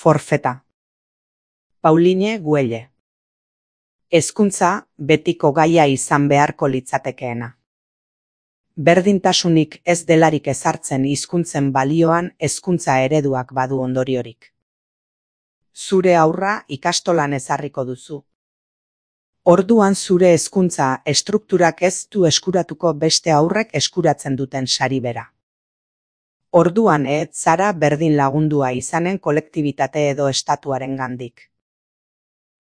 Forfeta. Pauline Güelle. Hezkuntza betiko gaia izan beharko litzatekeena. Berdintasunik ez delarik ezartzen hizkuntzen balioan hezkuntza ereduak badu ondoriorik. Zure haurra ikastolan ezarriko duzu. Orduan zure hezkuntza estrukturak ez du eskuratuko beste haurrek eskuratzen duten sari bera. Orduan ez zara berdin lagundua izanen kolektibitate edo estatuarengandik.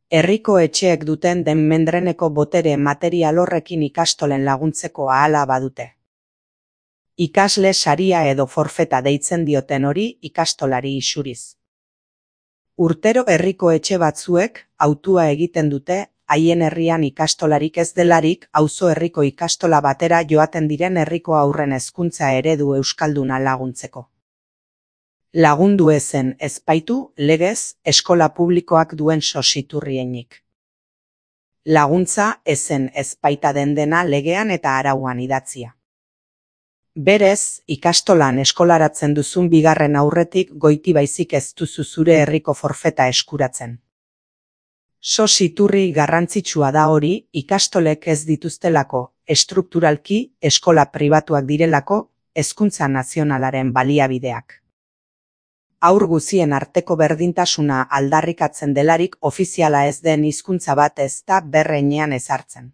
Herriko etxeek duten den mendreneko botere material horrekin ikastolen laguntzeko ahala badute. Ikasle saria edo forfeta deitzen dioten hori ikastolari isuriz. Urtero herriko etxe batzuek hautua egiten dute haien herrian ikastolarik ez delarik auzo herriko ikastola batera joaten diren herriko haurren hezkuntza eredu euskalduna laguntzeko. Lagundu ezen ezpaitu legez eskola publikoak duen sositurrienik. Laguntza ezen ezpaita dena legean eta arauan idatzia. Berez, ikastolan eskolaratzen duzun bigarren aurretik goiti baizik ez duzu zure herriko forfeta eskuratzen. Sositurri garrantzitsua da hori ikastolek ez dituztelako, estrukturalki eskola pribatuak direlako, hezkuntza nazionalaren baliabideak. Haur guzien arteko berdintasuna aldarrikatzen delarik ofiziala ez den hizkuntza bat ez da berreinean ezartzen.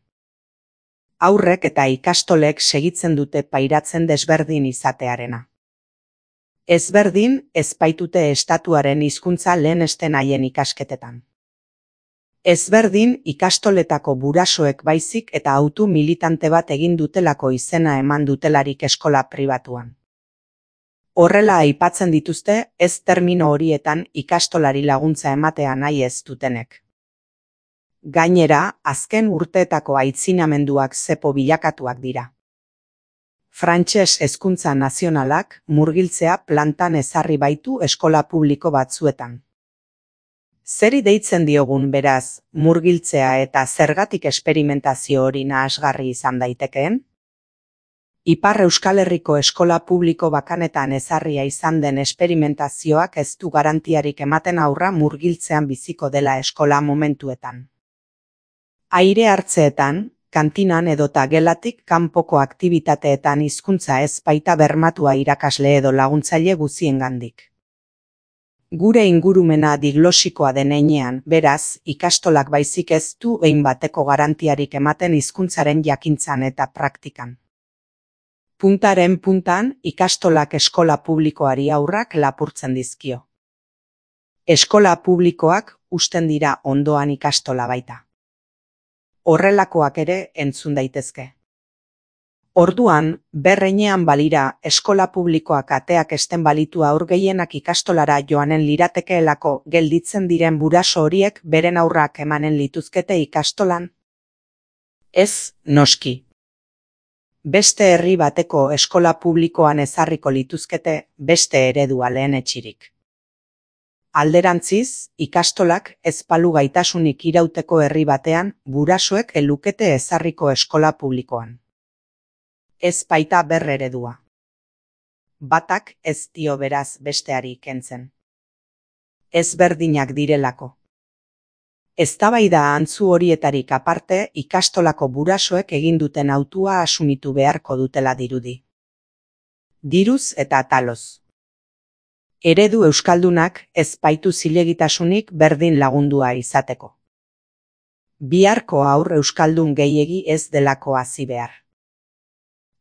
Haurrek eta ikastolek segitzen dute pairatzen desberdin izatearena. Ezberdin ezpaitute estatuaren hizkuntza lehenesten haien ikasketetan. Ezberdin ikastoletako burasoek baizik eta autu militante bat egin dutelako izena eman dutelarik eskola pribatuan. Horrela aipatzen dituzte ez termino horietan ikastolari laguntza ematea nahi ez dutenek. Gainera, azken urteetako aitzinamenduak zepo bilakatuak dira. Frantses hezkuntza nazionalak murgiltzea plantan ezarri baitu eskola publiko batzuetan. Zeri deitzen diogun beraz, murgiltzea eta zergatik esperimentazio hori nahasgarri izan daitekeen? Ipar Euskal Herriko eskola publiko bakanetan ezarria izan den esperimentazioak ez du garantiarik ematen haurra murgiltzean biziko dela eskola momentuetan. Aire hartzeetan, kantinan edota gelatik kanpoko aktibitateetan hizkuntza ez baita bermatua irakasle edo laguntzaile guziengandik. Gure ingurumena diglosikoa den heinean, beraz, ikastolak baizik ez du behin bateko garantiarik ematen hizkuntzaren jakintzan eta praktikan. Puntaren puntan, ikastolak eskola publikoari haurrak lapurtzen dizkio. Eskola publikoak usten dira ondoan ikastola baita. Horrelakoak ere entzun daitezke. Orduan, berreinean balira eskola publikoak ateak esten balitu haur gehienak ikastolara joanen liratekeelako gelditzen diren buraso horiek beren haurrak emanen lituzkete ikastolan? Ez, noski. Beste herri bateko eskola publikoan ezarriko lituzkete beste eredua lehenetsirik. Alderantziz, ikastolak ez balu gaitasunik irauteko herri batean burasoek elukete ezarriko eskola publikoan. Ez baita berreredua. Batak ez dio beraz besteari kentzen. Ezberdinak direlako. Eztabaida antzu horietarik aparte ikastolako burasoek egin duten hautua asumitu beharko dutela dirudi. Diruz eta taloz. Eredu euskaldunak ez baitu zilegitasunik berdin lagundua izateko. Biharko haur euskaldun gehiegi ez delako hazi behar.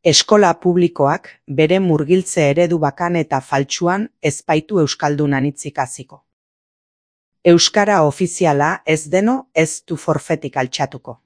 Eskola publikoak bere murgiltze eredu bakan eta faltsuan ez baitu euskaldunan hitzik hasiko. Euskara ofiziala ez deno ez du forfetik altxatuko.